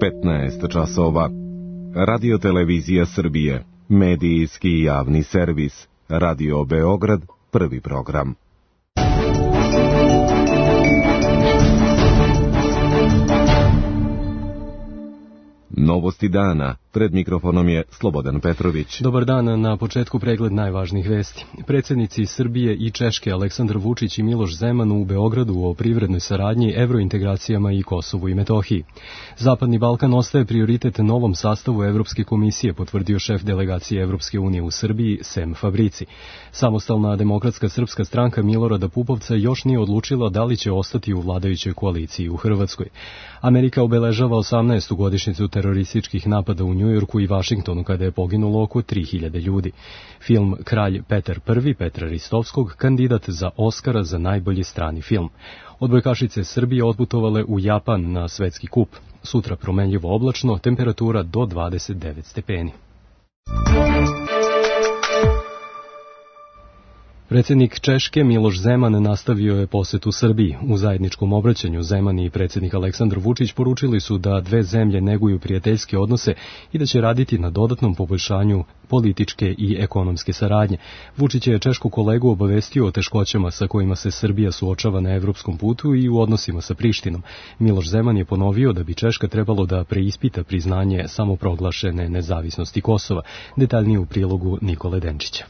15 časova. Radio-televizija Srbije, medijski i javni servis, Radio Beograd, prvi program. Novosti dana. Pred mikrofonom je Slobodan Petrović. Dobar dan, na početku pregled najvažnijih vesti. Predsjednici Srbije i Češke Aleksandar Vučić i Miloš Zeman u Beogradu o privrednoj saradnji, evrointegracijama i Kosovu i Metohiji. Zapadni Balkan ostaje prioritet novom sastavu Evropske komisije, potvrdio šef delegacije Evropske unije u Srbiji, Sem Fabrici. Samostalna demokratska srpska stranka Milorada Pupovca još nije odlučila da li će ostati u vladajućoj koaliciji u Hrvatskoj. Amerika obeležava 18. godišnjicu terorističkih napada u Njujorku i Vašingtonu kada je poginulo oko 3000 ljudi. Film Kralj Petar I Petra Ristovskog kandidat za Oskara za najbolji strani film. Odbojkašice Srbije otputovale u Japan na svetski kup. Sutra promenljivo oblačno, temperatura do 29 stepeni. Predsjednik Češke Miloš Zeman nastavio je posjet u Srbiji. U zajedničkom obraćanju Zeman i predsjednik Aleksandar Vučić poručili su da dve zemlje neguju prijateljske odnose i da će raditi na dodatnom poboljšanju političke i ekonomske saradnje. Vučić je češku kolegu obavestio o teškoćama sa kojima se Srbija suočava na evropskom putu i u odnosima sa Prištinom. Miloš Zeman je ponovio da bi Češka trebalo da preispita priznanje samoproglašene nezavisnosti Kosova. Detaljnije u prilogu Nikole Denčića.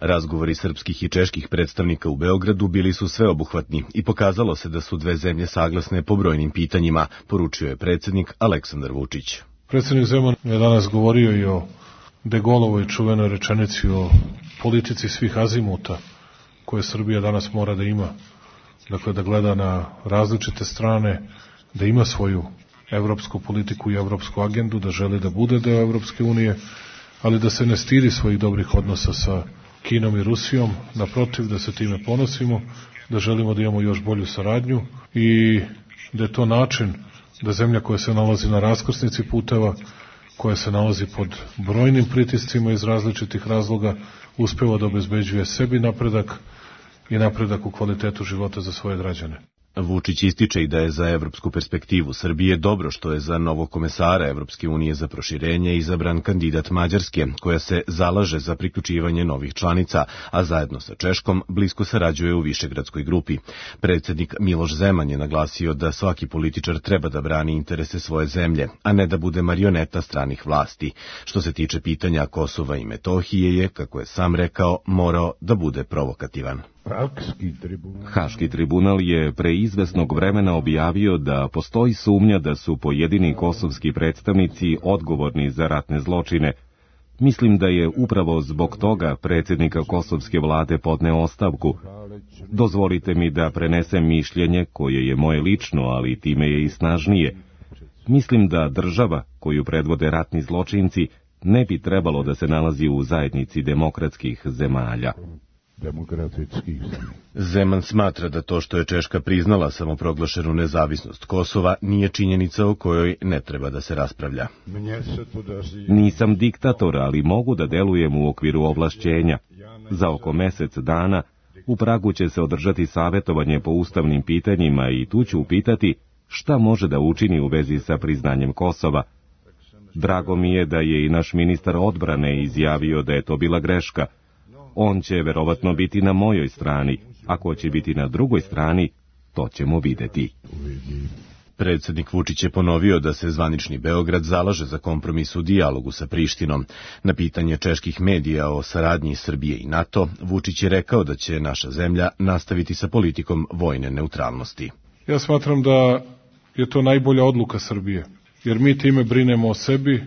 Razgovori srpskih i čeških predstavnika u Beogradu bili su sveobuhvatni i pokazalo se da su dve zemlje saglasne po brojnim pitanjima, poručio je predsjednik Aleksandar Vučić. Predsjednik Zeman je danas govorio i o De Gaulleovoj čuvenoj rečenici o politici svih azimuta koje Srbija danas mora da ima. Dakle, da gleda na različite strane, da ima svoju evropsku politiku i evropsku agendu, da želi da bude deo Evropske unije, ali da se ne stidi svojih dobrih odnosa sa Kinom i Rusijom, naprotiv da se time ponosimo, da želimo da imamo još bolju saradnju i da je to način da zemlja koja se nalazi na raskrsnici puteva, koja se nalazi pod brojnim pritiscima iz različitih razloga, uspeva da obezbeđuje sebi napredak i napredak u kvalitetu života za svoje građane. Vučić ističe i da je za evropsku perspektivu Srbije dobro što je za novog komesara Evropske unije za proširenje izabran kandidat Mađarske, koja se zalaže za priključivanje novih članica, a zajedno sa Češkom blisko sarađuje u Višegradskoj grupi. Predsjednik Miloš Zeman je naglasio da svaki političar treba da brani interese svoje zemlje, a ne da bude marioneta stranih vlasti. Što se tiče pitanja Kosova i Metohije je, kako je sam rekao, morao da bude provokativan. Haški tribunal je pre izvesnog vremena objavio da postoji sumnja da su pojedini kosovski predstavnici odgovorni za ratne zločine. Mislim da je upravo zbog toga predsjednika kosovske vlade podneo ostavku. Dozvolite mi da prenesem mišljenje koje je moje lično, ali time je i snažnije. Mislim da država koju predvode ratni zločinci ne bi trebalo da se nalazi u zajednici demokratskih zemalja. Zeman smatra da to što je Češka priznala samoproglašenu nezavisnost Kosova nije činjenica o kojoj ne treba da se raspravlja. Nisam diktator, ali mogu da delujem u okviru ovlašćenja. Za oko mesec dana u Pragu će se održati savjetovanje po ustavnim pitanjima i tu ću upitati šta može da učini u vezi sa priznanjem Kosova. Drago mi je da je i naš ministar odbrane izjavio da je to bila greška. On će verovatno biti na mojoj strani. Ako će biti na drugoj strani, to ćemo videti. Predsjednik Vučić je ponovio da se zvanični Beograd zalaže za kompromis u dijalogu sa Prištinom. Na pitanje čeških medija o saradnji Srbije i NATO, Vučić je rekao da će naša zemlja nastaviti sa politikom vojne neutralnosti. Ja smatram da je to najbolja odluka Srbije, jer mi time brinemo o sebi,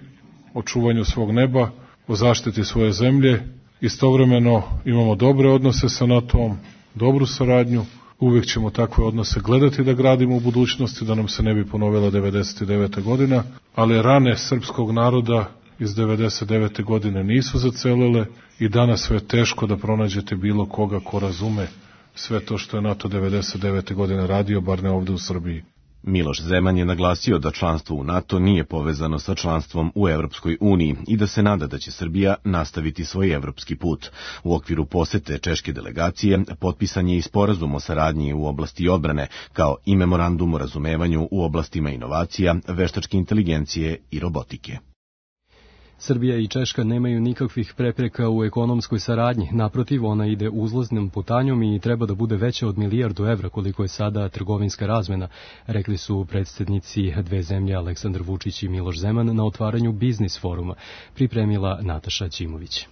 o čuvanju svog neba, o zaštiti svoje zemlje. Istovremeno imamo dobre odnose sa NATO-om, dobru saradnju, uvijek ćemo takve odnose gledati da gradimo u budućnosti, da nam se ne bi ponovila 99. godina, ali rane srpskog naroda iz 99. godine nisu zacelile i danas sve je teško da pronađete bilo koga ko razume sve to što je NATO 99. godine radio, bar ne ovde u Srbiji. Miloš Zeman je naglasio da članstvo u NATO nije povezano sa članstvom u Evropskoj uniji i da se nada da će Srbija nastaviti svoj evropski put. U okviru posete češke delegacije potpisan je i sporazum o saradnji u oblasti odbrane, kao i memorandum o razumevanju u oblastima inovacija, veštačke inteligencije i robotike. Srbija i Češka nemaju nikakvih prepreka u ekonomskoj saradnji. Naprotiv, ona ide uzlaznom putanjom i treba da bude veća od 1 milijardu evra koliko je sada trgovinska razmena, rekli su predsjednici dve zemlje Aleksandar Vučić i Miloš Zeman na otvaranju biznis foruma, pripremila Nataša Ćimović.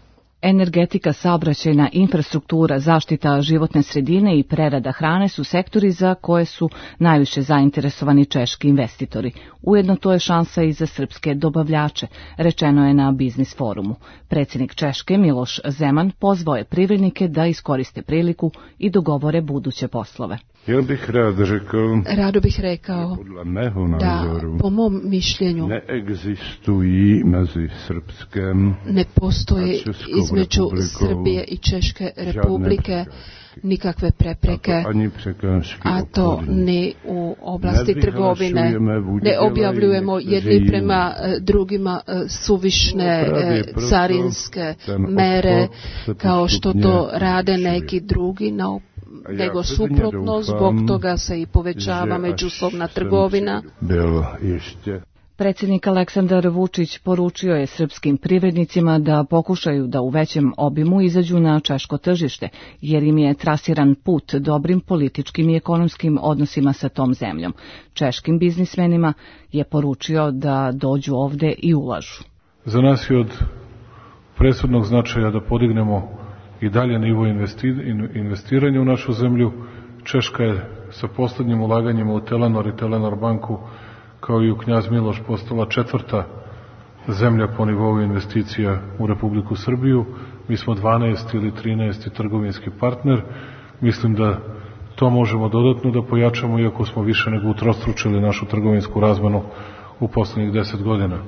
Energetika, saobraćajna infrastruktura, zaštita životne sredine i prerada hrane su sektori za koje su najviše zainteresovani češki investitori. Ujedno to je šansa i za srpske dobavljače, rečeno je na biznis forumu. Predsjednik Češke Miloš Zeman pozvao je privrednike da iskoriste priliku i dogovore buduće poslove. Rado bih rekao da, po mom mišljenju, ne postoji između Srbije i Češke republike nikakve prepreke, a to ni u oblasti trgovine. Ne objavljujemo jedni prema drugima suvišne carinske mere kao što to rade neki drugi, nego suprotno, zbog toga se i povećava međusobna trgovina. Predsjednik Aleksandar Vučić poručio je srpskim privrednicima da pokušaju da u većem obimu izađu na češko tržište, jer im je trasiran put dobrim političkim i ekonomskim odnosima sa tom zemljom. Češkim biznismenima je poručio da dođu ovde i ulažu. Za nas je od presudnog značaja da podignemo i dalje nivo investiranja u našu zemlju. Češka je sa poslednjim ulaganjima u Telenor i Telenor banku kao i u Knjaz Miloš postala 4. zemlja po nivou investicija u Republiku Srbiju. Mi smo 12. ili 13. trgovinski partner. Mislim da to možemo dodatno da pojačamo, iako smo više nego utrostručili našu trgovinsku razmenu u poslednjih 10 godina.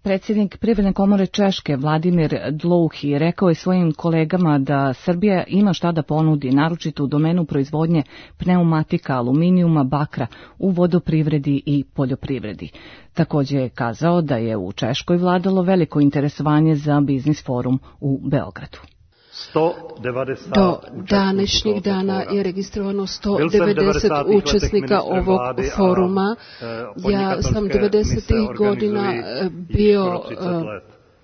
Predsjednik Privredne komore Češke Vladimir Dlouhi rekao je svojim kolegama da Srbija ima šta da ponudi, naročito u domenu proizvodnje pneumatika, aluminijuma, bakra u vodoprivredi i poljoprivredi. Također je kazao da je u Češkoj vladalo veliko interesovanje za biznis forum u Beogradu. Do današnjih dana je registrovano 190 učesnika ovog foruma. Ja sam 90. godina bio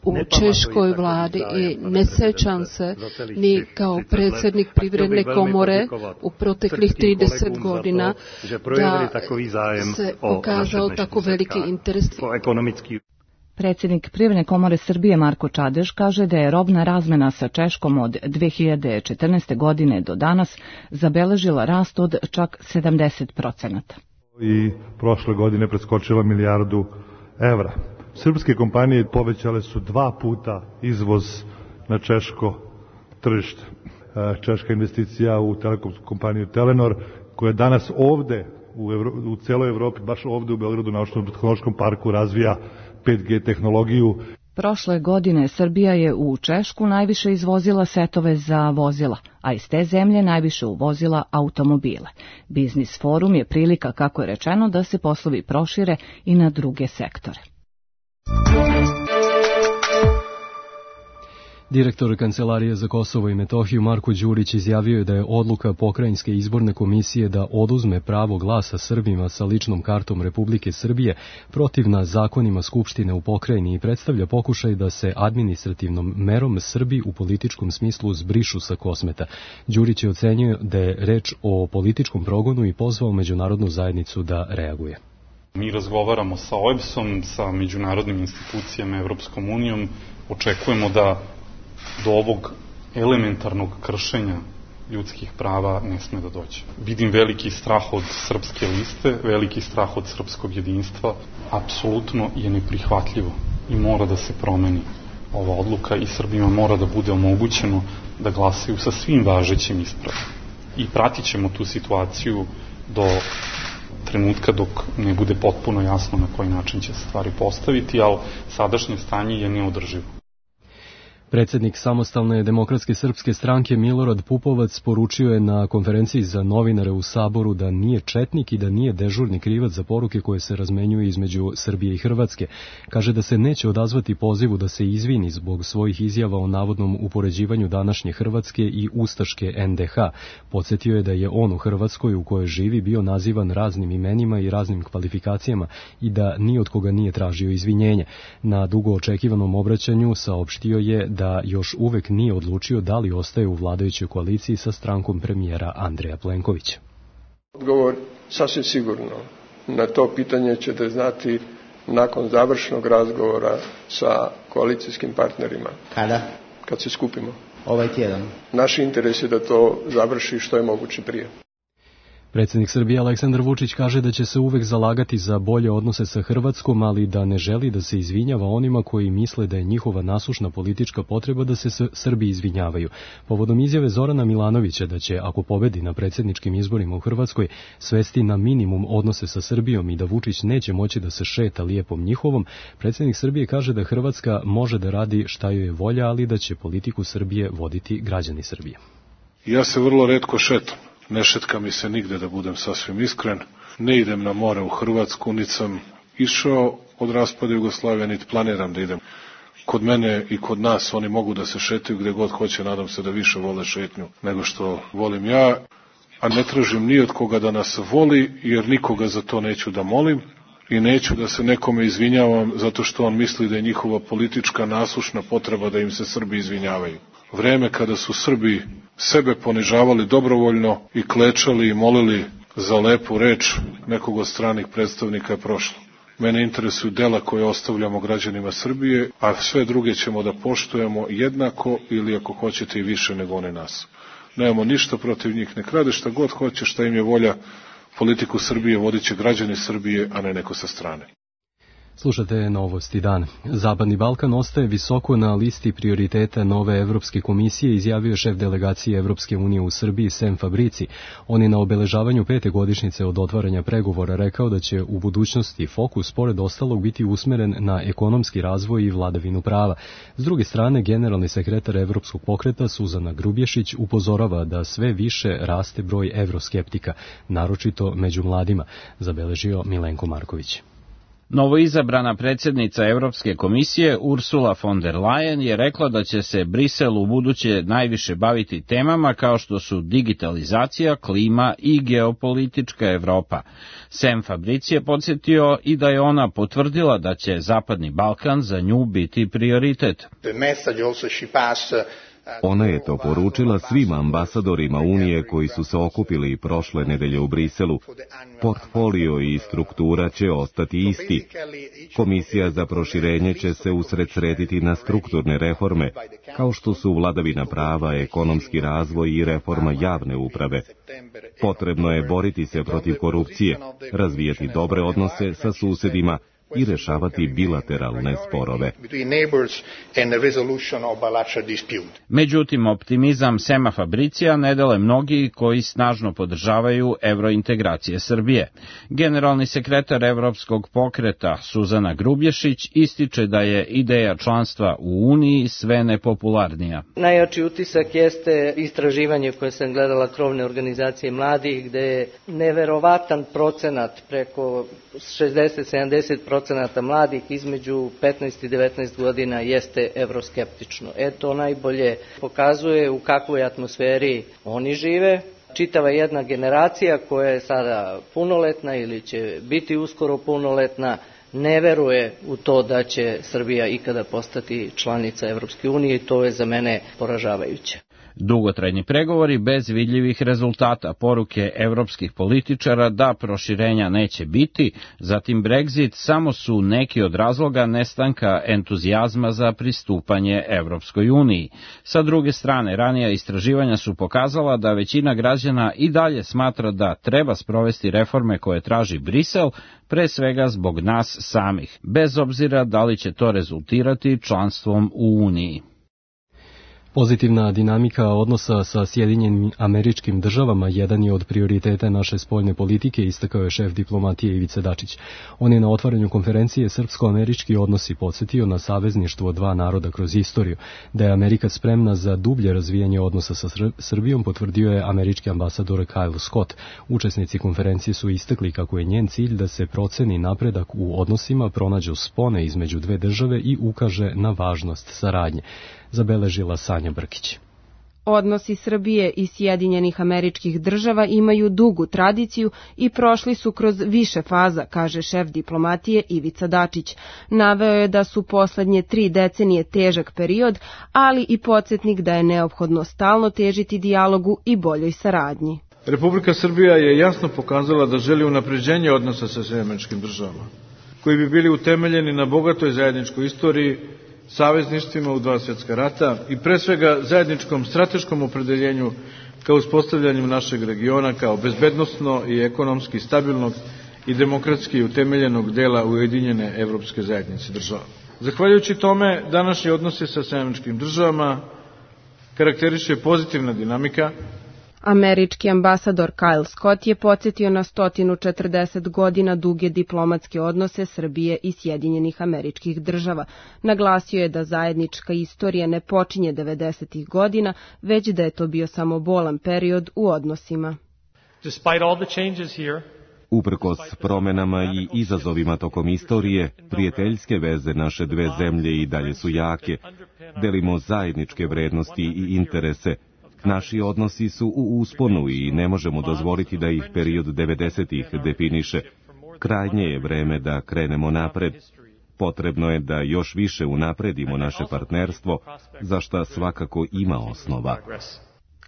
u Češkoj vladi i ne sećam se ni kao predsjednik Privredne komore u proteklih 30 godina da se pokazao tako veliki interes. Predsjednik Privredne komore Srbije Marko Čadež kaže da je robna razmena sa Češkom od 2014. godine do danas zabeležila rast od čak 70%. I prošle godine preskočila 1 milijardu evra. Srpske kompanije povećale su 2 puta izvoz na češko tržište. Češka investicija u telekomsku kompaniju Telenor, koja danas ovde u celoj Evropi, baš ovde u Beogradu, na naučno-tehnološkom parku razvija 5G tehnologiju. Prošle godine Srbija je u Češku najviše izvozila setove za vozila, a iz te zemlje najviše uvozila automobile. Biznis forum je prilika, kako je rečeno, da se poslovi prošire i na druge sektore. Direktor Kancelarije za Kosovo i Metohiju Marko Đurić izjavio je da je odluka Pokrajinske izborne komisije da oduzme pravo glasa Srbima sa ličnom kartom Republike Srbije protivna zakonima Skupštine u pokrajini i predstavlja pokušaj da se administrativnom merom Srbi u političkom smislu zbrišu sa Kosmeta. Đurić je ocenio da je reč o političkom progonu i pozvao međunarodnu zajednicu da reaguje. Mi razgovaramo sa OEBS-om, sa međunarodnim institucijama, Evropskom unijom, očekujemo da do ovog elementarnog kršenja ljudskih prava ne sme da dođe. Vidim veliki strah od srpske liste, veliki strah od srpskog jedinstva. Apsolutno je neprihvatljivo i mora da se promeni ova odluka i Srbima mora da bude omogućeno da glasaju sa svim važećim ispravama. I pratit ćemo tu situaciju do trenutka dok ne bude potpuno jasno na koji način će se stvari postaviti, ali sadašnje stanje je neodrživo. Predsjednik Samostalne demokratske srpske stranke Milorad Pupovac poručio je na konferenciji za novinare u Saboru da nije četnik i da nije dežurni krivac za poruke koje se razmenjuju između Srbije i Hrvatske. Kaže da se neće odazvati pozivu da se izvini zbog svojih izjava o navodnom upoređivanju današnje Hrvatske i ustaške NDH. Podsjetio je da je on u Hrvatskoj u kojoj živi bio nazivan raznim imenima i raznim kvalifikacijama i da ni od koga nije tražio izvinjenje. Na dugo očekivanom obraćanju saopštio je da još uvek nije odlučio da li ostaje u vladajućoj koaliciji sa strankom premijera Andreja Plenkovića. Odgovor sasvim sigurno na to pitanje ćete znati nakon završnog razgovora sa koalicijskim partnerima. Kada? Kad se skupimo. Ovaj tjedan. Naš interes je da to završi što je moguće prije. Predsjednik Srbije Aleksandar Vučić kaže da će se uvek zalagati za bolje odnose sa Hrvatskom, ali da ne želi da se izvinjava onima koji misle da je njihova nasušna politička potreba da se Srbi izvinjavaju. Povodom izjave Zorana Milanovića da će, ako pobedi na predsjedničkim izborima u Hrvatskoj, svesti na minimum odnose sa Srbijom i da Vučić neće moći da se šeta lijepom njihovom, predsjednik Srbije kaže da Hrvatska može da radi šta joj je volja, ali da će politiku Srbije voditi građani Srbije. Ja se vrlo retko šetam. Ne šetka mi se nigde, da budem sasvim iskren. Ne idem na more u Hrvatsku, niti sam išao od raspada Jugoslavije, niti planiram da idem. Kod mene i kod nas oni mogu da se šetaju gde god hoće, nadam se da više vole šetnju nego što volim ja, a ne tražim ni od koga da nas voli, jer nikoga za to neću da molim i neću da se nekome izvinjavam zato što on misli da je njihova politička nasušna potreba da im se Srbi izvinjavaju. Vreme kada su Srbi sebe ponižavali dobrovoljno i klečali i molili za lepu reč nekog od stranih predstavnika je prošlo. Mene interesuju dela koje ostavljamo građanima Srbije, a sve druge ćemo da poštujemo jednako ili ako hoćete i više nego one nas. Nemamo ništa protiv njih, nek rade šta god hoće, šta im je volja. Politiku Srbije vodit će građani Srbije, a ne neko sa strane. Slušate Novosti dan. Zapadni Balkan ostaje visoko na listi prioriteta nove Evropske komisije, izjavio je šef delegacije Evropske unije u Srbiji Sem Fabrici. On je na obeležavanju 5. godišnjice od otvaranja pregovora rekao da će u budućnosti fokus pored ostalog biti usmeren na ekonomski razvoj i vladavinu prava. S druge strane, generalni sekretar Evropskog pokreta Suzana Grubješić upozorava da sve više raste broj evroskeptika, naročito među mladima, zabeležio Milenko Marković. Novoizabrana predsjednica Europske komisije Ursula von der Leyen je rekla da će se Brisel u buduće najviše baviti temama kao što su digitalizacija, klima i geopolitička Evropa. Sem Fabrici je podsjetio i da je ona potvrdila da će Zapadni Balkan za nju biti prioritet. Ona je to poručila svim ambasadorima Unije koji su se okupili prošle nedelje u Briselu. Portfolio i struktura će ostati isti. Komisija za proširenje će se usredsrediti na strukturne reforme, kao što su vladavina prava, ekonomski razvoj i reforma javne uprave. Potrebno je boriti se protiv korupcije, razvijati dobre odnose sa susedima i rešavati bilateralne sporove. Međutim, optimizam Sema Fabricija ne dele mnogi koji snažno podržavaju evrointegracije Srbije. Generalni sekretar Evropskog pokreta Suzana Grubješić ističe da je ideja članstva u Uniji sve nepopularnija. Najjači utisak jeste istraživanje koje sam gledala krovne organizacije mladih, gde je neverovatan procenat, preko 60-70% mladih između 15 i 19 godina jeste evroskeptično. To najbolje pokazuje u kakvoj atmosferi oni žive. Čitava jedna generacija koja je sada punoletna ili će biti uskoro punoletna ne veruje u to da će Srbija ikada postati članica Evropske unije i to je za mene poražavajuće. Dugotrajni pregovori bez vidljivih rezultata, poruke evropskih političara da proširenja neće biti, zatim Brexit samo su neki od razloga nestanka entuzijazma za pristupanje Evropskoj uniji. Sa druge strane, ranija istraživanja su pokazala da većina građana i dalje smatra da treba sprovesti reforme koje traži Brisel, pre svega zbog nas samih, bez obzira da li će to rezultirati članstvom u Uniji. Pozitivna dinamika odnosa sa Sjedinjenim Američkim Državama jedan je od prioriteta naše spoljne politike, istakao je šef diplomatije Ivica Dačić. On je na otvaranju konferencije Srpsko-američki odnosi podsjetio na savezništvo dva naroda kroz istoriju. Da je Amerika spremna za dublje razvijanje odnosa sa Srbijom, potvrdio je američki ambasador Kyle Scott. Učesnici konferencije su istakli kako je njen cilj da se proceni napredak u odnosima, pronađu spone između dve države i ukaže na važnost saradnje. Zabeležila Sanja Brkić. Odnosi Srbije i Sjedinjenih Američkih Država imaju dugu tradiciju i prošli su kroz više faza, kaže šef diplomatije Ivica Dačić. Naveo je da su poslednje 3 decenije težak period, ali i podsjetnik da je neophodno stalno težiti dijalogu i boljoj saradnji. Republika Srbija je jasno pokazala da želi unapređenje odnosa sa Sjedinjenim Američkim Državama, koji bi bili utemeljeni na bogatoj zajedničkoj istoriji, savezništvima u 2 svjetska rata i pre svega zajedničkom strateškom opredeljenju kao uspostavljanju našeg regiona kao bezbednosno i ekonomski stabilnog i demokratski utemeljenog dela ujedinjene evropske zajednice država. Zahvaljujući tome, današnji odnosi sa Sjedinjenim Američkim Državama karakteriše pozitivna dinamika. Američki ambasador Kyle Scott je podsjetio na 140 godina duge diplomatske odnose Srbije i Sjedinjenih Američkih Država. Naglasio je da zajednička istorija ne počinje 90. godina, već da je to bio samo bolan period u odnosima. Uprkos promenama i izazovima tokom istorije, prijateljske veze naše dve zemlje i dalje su jake. Delimo zajedničke vrednosti i interese. Naši odnosi su u usponu i ne možemo dozvoliti da ih period 90-ih definiše. Krajnje je vreme da krenemo napred. Potrebno je da još više unapredimo naše partnerstvo, za šta svakako ima osnova.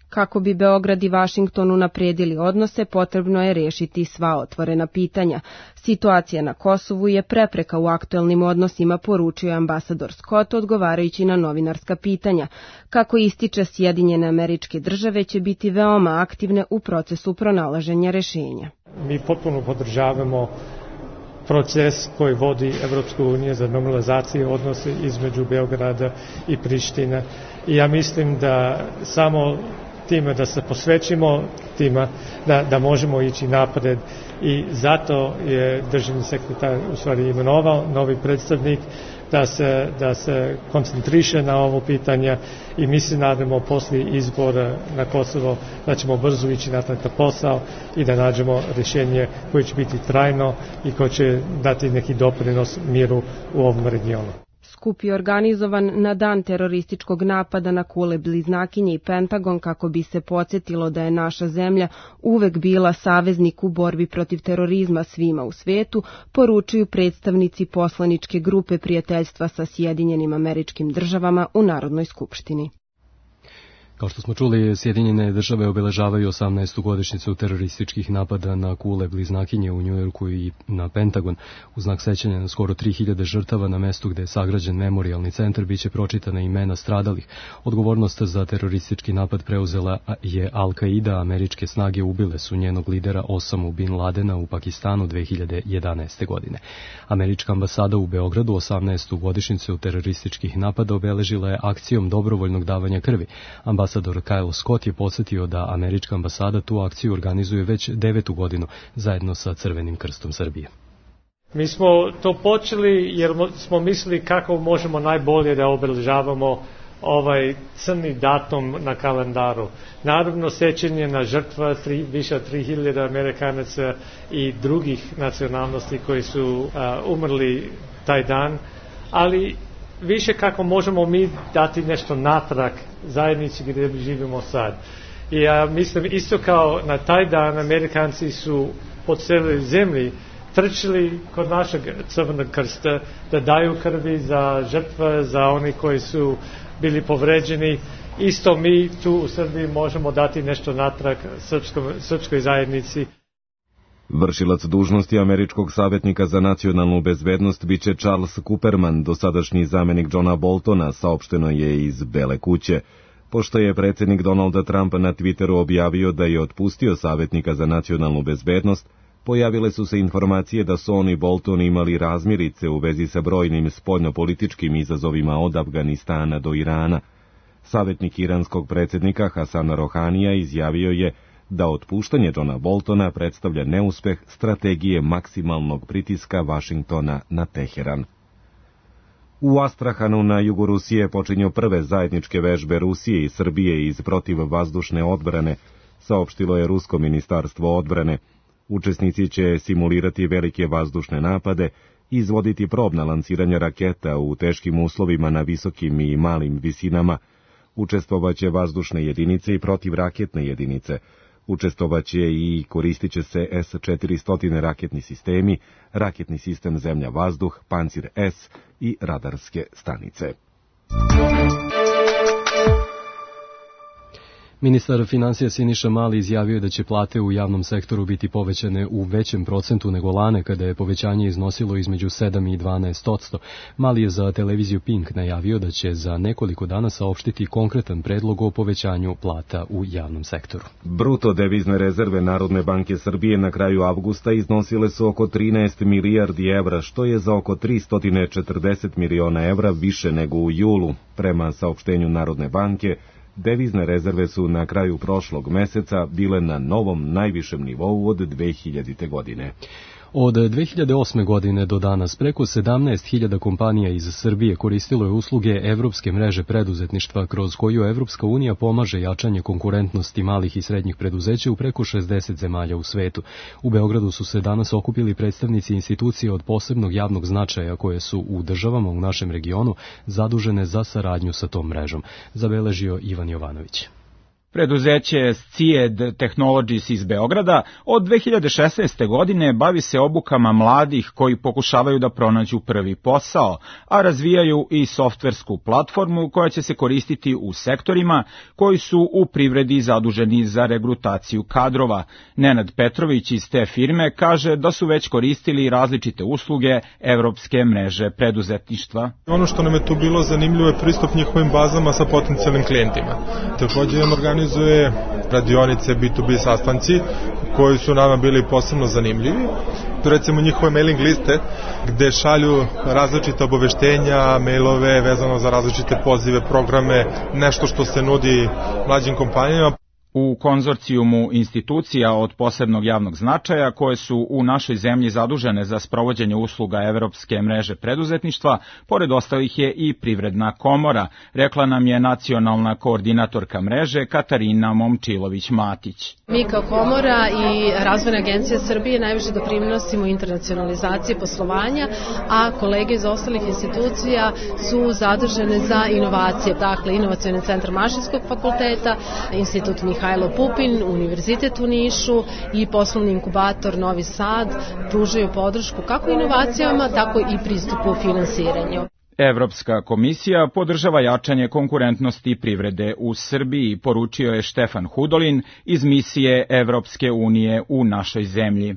Kako bi Beograd i Vašington unapredili odnose, potrebno je rešiti sva otvorena pitanja. Situacija na Kosovu je prepreka u aktuelnim odnosima, poručio je ambasador Scott odgovarajući na novinarska pitanja. Kako ističe, Sjedinjene Američke Države će biti veoma aktivne u procesu pronalaženja rešenja. Mi potpuno podržavamo proces koji vodi Evropska unija za normalizaciju odnose između Beograda i Prištine. I ja mislim da samo time da se posvećimo tima, da možemo ići napred i zato je državni sekretar u stvari imenovao novi predstavnik da se koncentriše na ovo pitanje i mi se nadamo posle izbora na Kosovo da ćemo brzo ići na taj posao i da nađemo rješenje koje će biti trajno i koje će dati neki doprinos miru u ovom regionu. Skup je organizovan na dan terorističkog napada na Kule Bliznakinje i Pentagon kako bi se podsjetilo da je naša zemlja uvek bila saveznik u borbi protiv terorizma svima u svetu, poručuju predstavnici poslaničke grupe prijateljstva sa Sjedinjenim Američkim Državama u Narodnoj skupštini. Kao što smo čuli, Sjedinjene Države obeležavaju 18. godišnjicu terorističkih napada na Kule Bliznakinje u Njujorku i na Pentagon. U znak sećanja na skoro 3000 žrtava na mestu gde je sagrađen memorijalni centar biće pročitana imena stradalih. Odgovornost za teroristički napad preuzela je Al-Qaida, američke snage ubile su njenog lidera Osamu Bin Ladena u Pakistanu 2011. godine. Američka ambasada u Beogradu 18. godišnjicu terorističkih napada obeležila je akcijom dobrovoljnog davanja krvi. Ambasador Kyle Scott je podsjetio da američka ambasada tu akciju organizuje već 9. godinu zajedno sa Crvenim krstom Srbije. Mi smo to počeli jer smo mislili kako možemo najbolje da obeležavamo ovaj crni datum na kalendaru. Naravno, sećanje na žrtva više od 3000 Amerikanaca i drugih nacionalnosti koji su umrli taj dan, ali više kako možemo mi dati nešto natrag zajednici gdje živimo sad. I ja mislim isto kao na taj dan Amerikanci su po cijeloj zemlji trčili kod našeg Crvenog krsta da daju krvi za žrtve, za oni koji su bili povređeni. Isto mi tu u Srbiji možemo dati nešto natrag srpskoj zajednici. Vršilac dužnosti američkog savjetnika za nacionalnu bezbednost biće Charles Cooperman, dosadašnji zamenik Johna Boltona, saopšteno je iz Bele kuće. Pošto je predsjednik Donalda Trumpa na Twitteru objavio da je otpustio savjetnika za nacionalnu bezbednost, pojavile su se informacije da su on i Bolton imali razmirice u vezi sa brojnim spoljnopolitičkim izazovima od Afganistana do Irana. Savjetnik iranskog predsjednika Hasana Rohanija izjavio je da otpuštanje Johna Boltona predstavlja neuspeh strategije maksimalnog pritiska Vašingtona na Teheran. U Astrahanu na jugu Rusije počinju prve zajedničke vežbe Rusije i Srbije iz protivvazdušne odbrane, saopštilo je Rusko ministarstvo odbrane. Učesnici će simulirati velike vazdušne napade i izvoditi probna lansiranja raketa u teškim uslovima na visokim i malim visinama. Učestvovaće vazdušne jedinice i protivraketne jedinice. Učestvovaće i koristit će se S-400 raketni sistemi, raketni sistem zemlja-vazduh, Pancir S i radarske stanice. Ministar financija Siniša Mali izjavio da će plate u javnom sektoru biti povećane u većem procentu nego lane, kada je povećanje iznosilo između 7 i 12%. Mali je za televiziju Pink najavio da će za nekoliko dana saopštiti konkretan predlog o povećanju plata u javnom sektoru. Bruto devizne rezerve Narodne banke Srbije na kraju avgusta iznosile su oko 13 milijardi evra, što je za oko 340 miliona evra više nego u julu. Prema saopštenju Narodne banke, devizne rezerve su na kraju prošlog meseca bile na novom najvišem nivou od 2000. godine. Od 2008. godine do danas preko 17.000 kompanija iz Srbije koristilo je usluge Evropske mreže preduzetništva, kroz koju Evropska unija pomaže jačanje konkurentnosti malih i srednjih preduzeća u preko 60 zemalja u svetu. U Beogradu su se danas okupili predstavnici institucija od posebnog javnog značaja koje su u državama u našem regionu zadužene za saradnju sa tom mrežom, zabeležio Ivan Jovanović. Preduzeće Scied Technologies iz Beograda od 2016. godine bavi se obukama mladih koji pokušavaju da pronađu prvi posao, a razvijaju i softversku platformu koja će se koristiti u sektorima koji su u privredi zaduženi za regrutaciju kadrova. Nenad Petrović iz te firme kaže da su već koristili različite usluge Evropske mreže preduzetništva. Ono što nam je tu bilo zanimljivo je pristup njihovim bazama sa potencijalnim klijentima. Također organizuje radionice, B2B sastanci koji su nama bili posebno zanimljivi. Recimo njihove mailing liste gde šalju različite obaveštenja, mailove vezano za različite pozive, programe, nešto što se nudi mlađim kompanijama. U konzorcijumu institucija od posebnog javnog značaja koje su u našoj zemlji zadužene za sprovođenje usluga Evropske mreže preduzetništva, pored ostalih je i Privredna komora, rekla nam je nacionalna koordinatorka mreže Katarina Momčilović-Matić. Mi kao komora i Razvojna agencija Srbije najviše doprinosimo internacionalizaciji poslovanja, a kolege iz ostalih institucija su zadužene za inovacije, dakle Inovacioni centar Mašinskog fakulteta, Institut Mihajlo Pupin, Univerzitet u Nišu i poslovni inkubator Novi Sad pružaju podršku kako inovacijama, tako i pristupu finansiranju. Evropska komisija podržava jačanje konkurentnosti privrede u Srbiji, poručio je Štefan Hudolin iz misije Evropske unije u našoj zemlji.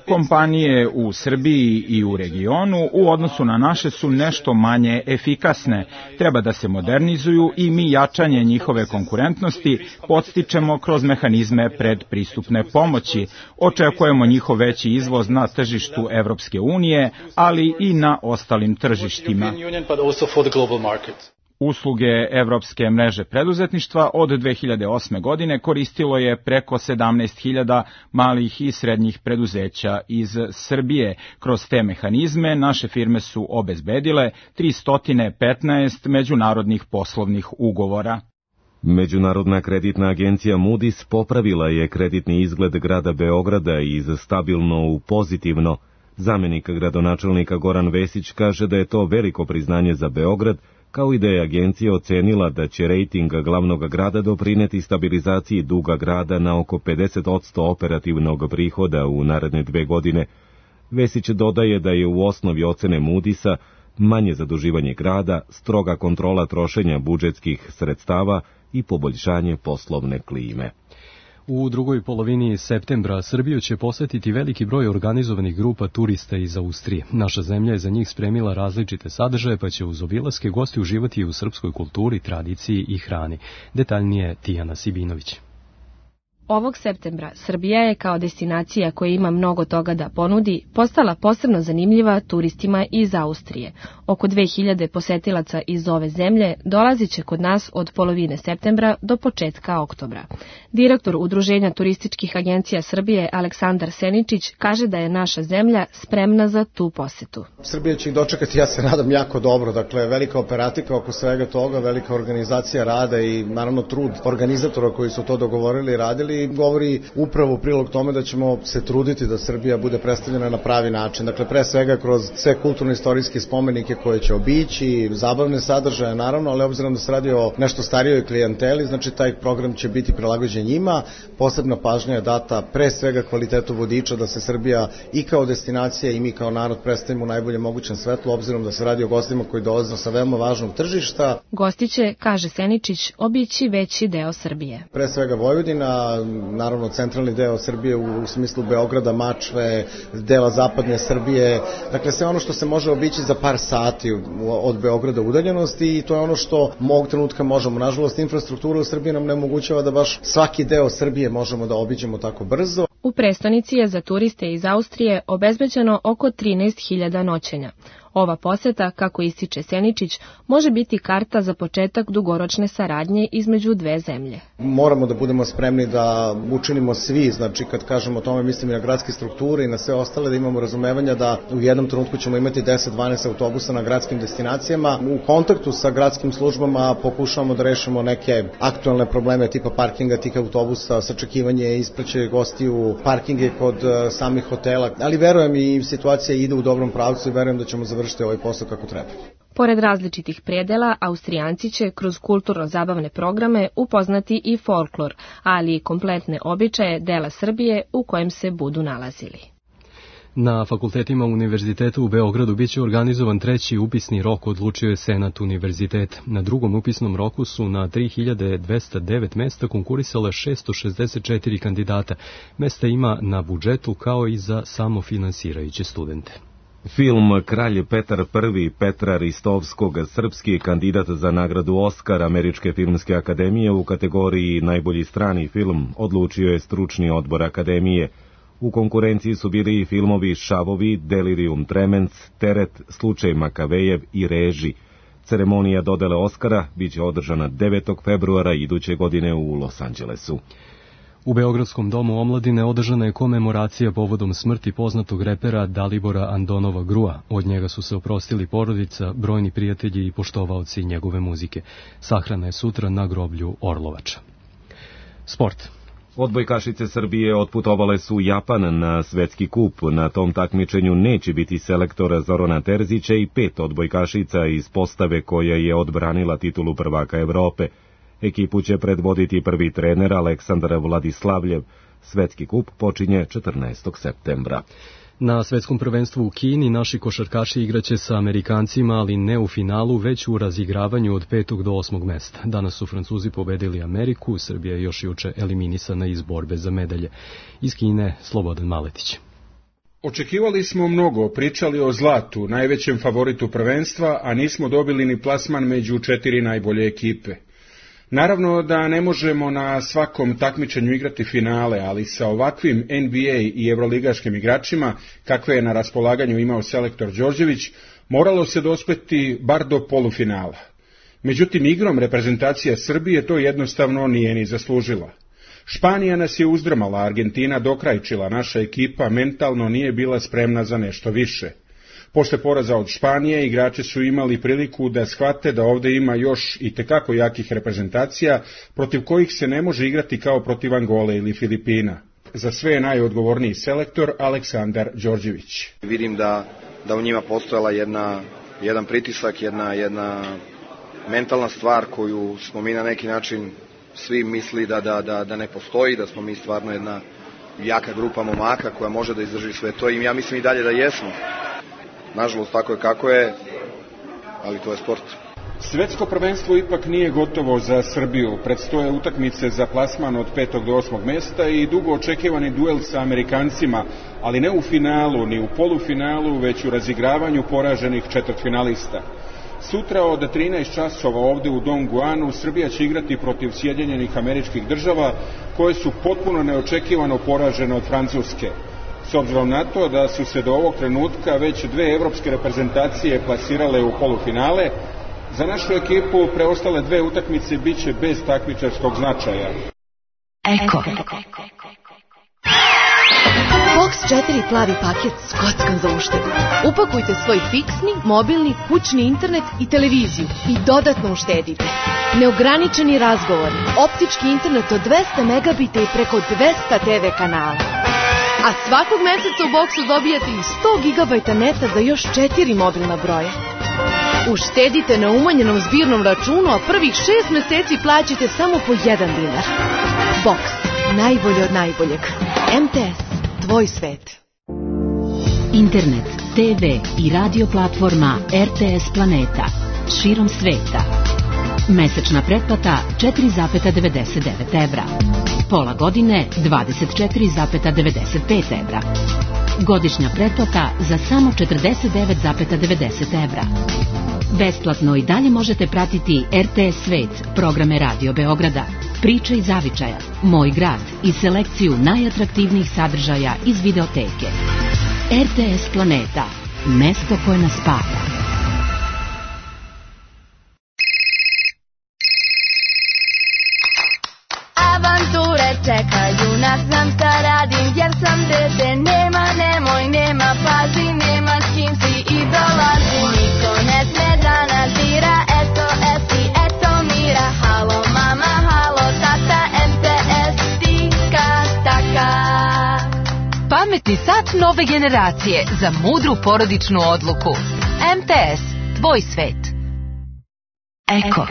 Kompanije u Srbiji i u regionu u odnosu na naše su nešto manje efikasne. Treba da se modernizuju i mi jačanje njihove konkurentnosti podstičemo kroz mehanizme predpristupne pomoći. Očekujemo njihov veći izvoz na tržištu Evropske unije, ali i na ostalim tržištima. Usluge Evropske mreže preduzetništva od 2008. godine koristilo je preko 17.000 malih i srednjih preduzeća iz Srbije. Kroz te mehanizme naše firme su obezbedile 315 međunarodnih poslovnih ugovora. Međunarodna kreditna agencija Moody's popravila je kreditni izgled grada Beograda iz stabilno u pozitivno. Zamenik gradonačelnika Goran Vesić kaže da je to veliko priznanje za Beograd, kao i da je agencija ocenila da će rejting glavnog grada doprineti stabilizaciji duga grada na oko 50% operativnog prihoda u naredne 2 godine. Vesić dodaje da je u osnovi ocene Moody'sa manje zaduživanje grada, stroga kontrola trošenja budžetskih sredstava i poboljšanje poslovne klime. U drugoj polovini septembra Srbiju će posetiti veliki broj organizovanih grupa turista iz Austrije. Naša zemlja je za njih spremila različite sadržaje, pa će uz obilaske gosti uživati i u srpskoj kulturi, tradiciji i hrani. Detaljnije Tijana Sibinović. Ovog septembra Srbija je kao destinacija koja ima mnogo toga da ponudi postala posebno zanimljiva turistima iz Austrije. Oko 2000 posetilaca iz ove zemlje dolazit će kod nas od polovine septembra do početka oktobra. Direktor Udruženja turističkih agencija Srbije Aleksandar Seničić kaže da je naša zemlja spremna za tu posetu. Srbija će ih dočekati, ja se nadam, jako dobro. Dakle, velika operatika oko svega toga, velika organizacija rada i naravno trud organizatora koji su to dogovorili i radili govori upravo u prilog tome da ćemo se truditi da Srbija bude predstavljena na pravi način. Dakle, pre svega kroz sve kulturno-istorijske spomenike koje će obići, zabavne sadržaje naravno, ali obzirom da se radi o nešto starijoj klijenteli, znači taj program će biti prilagođen njima. Posebna pažnja je data pre svega kvalitetu vodiča, da se Srbija i kao destinacija i mi kao narod predstavimo u najboljem mogućem svetlu, obzirom da se radi o gostima koji dolaze sa veoma važnog tržišta. Gosti će, kaže Seničić, obići veći deo Srbije. Pre svega Vojvodina, naravno centralni deo Srbije u smislu Beograda, Mačve, dela zapadne Srbije, dakle sve ono što se može obići za par sati od Beograda udaljenosti i to je ono što ovog trenutka možemo. Nažalost, infrastruktura u Srbiji nam ne omogućava da baš svaki deo Srbije možemo da obiđemo tako brzo. U prestonici je za turiste iz Austrije obezbeđeno oko 13.000 noćenja. Ova poseta, kako ističe Seničić, može biti karta za početak dugoročne saradnje između dve zemlje. Moramo da budemo spremni da učinimo svi, znači kad kažemo o tome mislim i na gradske strukture i na sve ostale, da imamo razumevanja da u jednom trenutku ćemo imati 10-12 autobusa na gradskim destinacijama. U kontaktu sa gradskim službama pokušavamo da rešimo neke aktualne probleme tipa parkinga tih autobusa, sačekivanje, ispraćaj gostiju, parkinge kod samih hotela, ali verujem i situacija ide u dobrom pravcu i verujem da ćemo završiti ovaj posao kako treba. Pored različitih predela, Austrijanci će kroz kulturno-zabavne programe upoznati i folklor, ali i kompletne običaje dela Srbije u kojem se budu nalazili. Na fakultetima Univerzitetu u Beogradu biće organizovan treći upisni rok, odlučio je Senat univerziteta. Na drugom upisnom roku su na 3209 mesta konkurisale 664 kandidata. Mesta ima na budžetu kao i za samofinansirajuće studente. Film Kralj Petar I Petra Ristovskog, srpski kandidat za nagradu Oskar Američke filmske akademije u kategoriji najbolji strani film, odlučio je stručni odbor akademije. U konkurenciji su bili i filmovi Šavovi, Delirium Tremens, Teret, Slučaj Makavejev i Reži. Ceremonija dodele Oskara biće održana 9. februara iduće godine u Los Angelesu. U Beogradskom domu omladine održana je komemoracija povodom smrti poznatog repera Dalibora Andonova Grua. Od njega su se oprostili porodica, brojni prijatelji i poštovaoci njegove muzike. Sahrana je sutra na groblju Orlovača. Sport. Odbojkašice Srbije otputovale su u Japan na svetski kup. Na tom takmičenju neće biti selektora Zorana Terzića i 5 odbojkašica iz postave koja je odbranila titulu prvaka Evrope. Ekipu će predvoditi prvi trener Aleksandar Vladislavljev. Svetski kup počinje 14. septembra. Na svetskom prvenstvu u Kini naši košarkaši igraće sa Amerikancima, ali ne u finalu, već u razigravanju od 5. do 8. mesta. Danas su Francuzi pobedili Ameriku, Srbija je još juče eliminisana iz borbe za medalje. Iz Kine, Slobodan Maletić. Očekivali smo mnogo, pričali o zlatu, najvećem favoritu prvenstva, a nismo dobili ni plasman među 4 najbolje ekipe. Naravno da ne možemo na svakom takmičenju igrati finale, ali sa ovakvim NBA i evroligaškim igračima, kakve je na raspolaganju imao selektor Đorđević, moralo se dospeti bar do polufinala. Međutim, igrom reprezentacija Srbije to jednostavno nije ni zaslužila. Španija nas je uzdrmala, Argentina dokrajčila, naša ekipa mentalno nije bila spremna za nešto više. Posle poraza od Španije, igrači su imali priliku da shvate da ovde ima još i tekako jakih reprezentacija, protiv kojih se ne može igrati kao protiv Angole ili Filipina. Za sve je najodgovorniji selektor Aleksandar Đorđević. Vidim da u njima postojala jedan pritisak, jedna mentalna stvar koju smo mi na neki način svi misli da ne postoji, da smo mi stvarno jedna jaka grupa momaka koja može da izdrži sve to i ja mislim i dalje da jesmo. Nažalost, tako je kako je, ali to je sport. Svetsko prvenstvo ipak nije gotovo za Srbiju. Predstoje utakmice za plasman od 5. do 8. mesta i dugo očekivani duel sa Amerikancima, ali ne u finalu, ni u polufinalu, već u razigravanju poraženih četvrtfinalista. Sutra od 13 časova ovde u Dongguanu Srbija će igrati protiv Sjedinjenih Američkih Država, koje su potpuno neočekivano poražene od Francuske. S obzirom na to da su se do ovog trenutka već 2 evropske reprezentacije plasirale u polufinale, za našu ekipu preostale 2 utakmice biće bez takmičarskog značaja. Eko. Box 4 plavi paket s kockom za uštedu. Upakujte svoj fiksni, mobilni, kućni internet i televiziju i dodatno uštedite. Neograničeni razgovori, optički internet od 200 megabita i preko 200 TV kanala. A svakog meseca u Boxu dobijate i 100 GB neta za još 4 mobilna broja. Uštedite na umanjenom zbirnom računu, a prvih 6 meseci plaćate samo po 1 dinar. Box. Najbolje od najboljeg. MTS. Tvoj svet. Internet, TV i radio platforma RTS Planeta. Širom sveta. Mesečna pretplata 4,99 evra. Pola godine 24,95 evra. Godišnja pretplata za samo 49,90 evra. Besplatno i dalje možete pratiti RTS Svet, programe Radio Beograda, Priče iz zavičaja, Moj grad i selekciju najatraktivnijih sadržaja iz videoteke. RTS Planeta, mesto koje nas spaja. Avanture čekaju nas, znam šta radim jer sam dete. Nema, pazi, nema s kim si i dolazi. Niko ne sme da nas dira, eto esi, eto mira. Halo mama, halo tata, MTS tika taka. Pametni sat nove generacije za mudru porodičnu odluku. MTS, tvoj svet. Eko.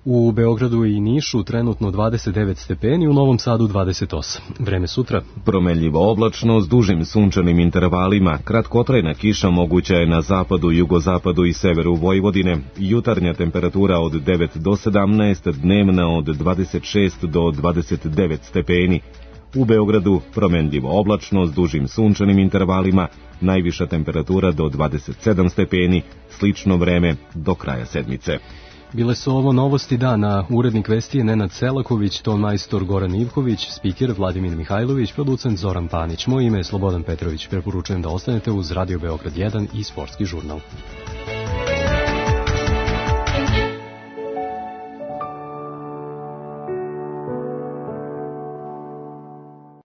U Beogradu i Nišu trenutno 29 stepeni, u Novom Sadu 28. Vreme sutra. Promenljivo oblačno s dužim sunčanim intervalima, kratkotrajna kiša moguća je na zapadu, jugozapadu i severu Vojvodine, jutarnja temperatura od 9 do 17, dnevna od 26 do 29 stepeni. U Beogradu promenljivo oblačno s dužim sunčanim intervalima, najviša temperatura do 27 stepeni, slično vreme do kraja sedmice. Bile su ovo novosti dana. Urednik vesti je Nenad Selaković, ton majstor Goran Ivković, spiker Vladimir Mihajlović, producent Zoran Panić. Moje ime je Slobodan Petrović. Preporučujem da ostanete uz Radio Beograd 1 i Sportski žurnal.